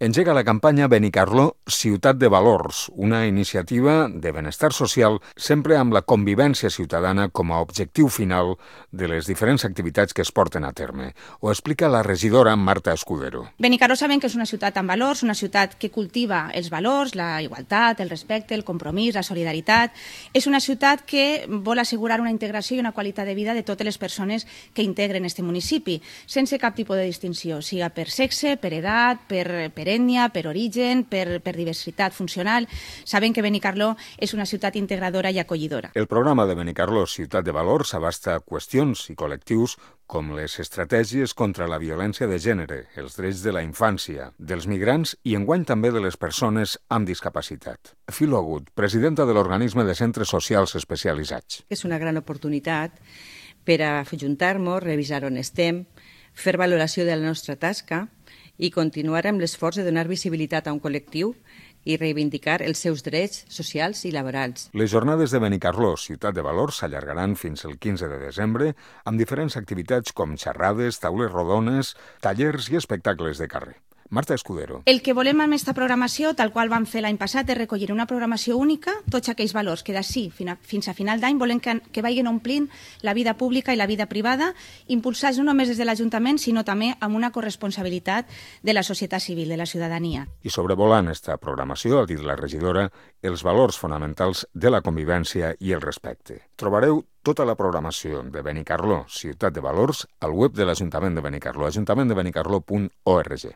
Engega la campanya Benicarló Ciutat de Valors, una iniciativa de benestar social sempre amb la convivència ciutadana com a objectiu final de les diferents activitats que es porten a terme. Ho explica la regidora Marta Escudero. Benicarló sabem que és una ciutat amb valors, una ciutat que cultiva els valors, la igualtat, el respecte, el compromís, la solidaritat. És una ciutat que vol assegurar una integració i una qualitat de vida de totes les persones que integren este municipi, sense cap tipus de distinció, siga per sexe, per edat, per ètnia, per origen, per diversitat funcional. Sabem que Benicarló és una ciutat integradora i acollidora. El programa de Benicarló Ciutat de Valors abasta qüestions i col·lectius com les estratègies contra la violència de gènere, els drets de la infància, dels migrants i enguany també de les persones amb discapacitat. Filo Agut, presidenta de l'organisme de centres socials especialitzats. És una gran oportunitat per a ajuntar-nos, revisar on estem, fer valoració de la nostra tasca i continuar amb l'esforç de donar visibilitat a un col·lectiu i reivindicar els seus drets socials i laborals. Les jornades de Benicarló Ciutat de Valors s'allargaran fins el 15 de desembre amb diferents activitats com xerrades, taules rodones, tallers i espectacles de carrer. Marta Escudero. El que volem amb aquesta programació, tal qual vam fer l'any passat, és recollir una programació única, tots aquells valors que d'ací fins a final d'any volem que vagin omplint la vida pública i la vida privada, impulsats no només des de l'Ajuntament, sinó també amb una corresponsabilitat de la societat civil, de la ciutadania. I sobrevolant esta programació, ha dit la regidora, els valors fonamentals de la convivència i el respecte. Trobareu tota la programació de Benicarló Ciutat de Valors al web de l'Ajuntament de Benicarló, ajuntamenttdebenicarló.org.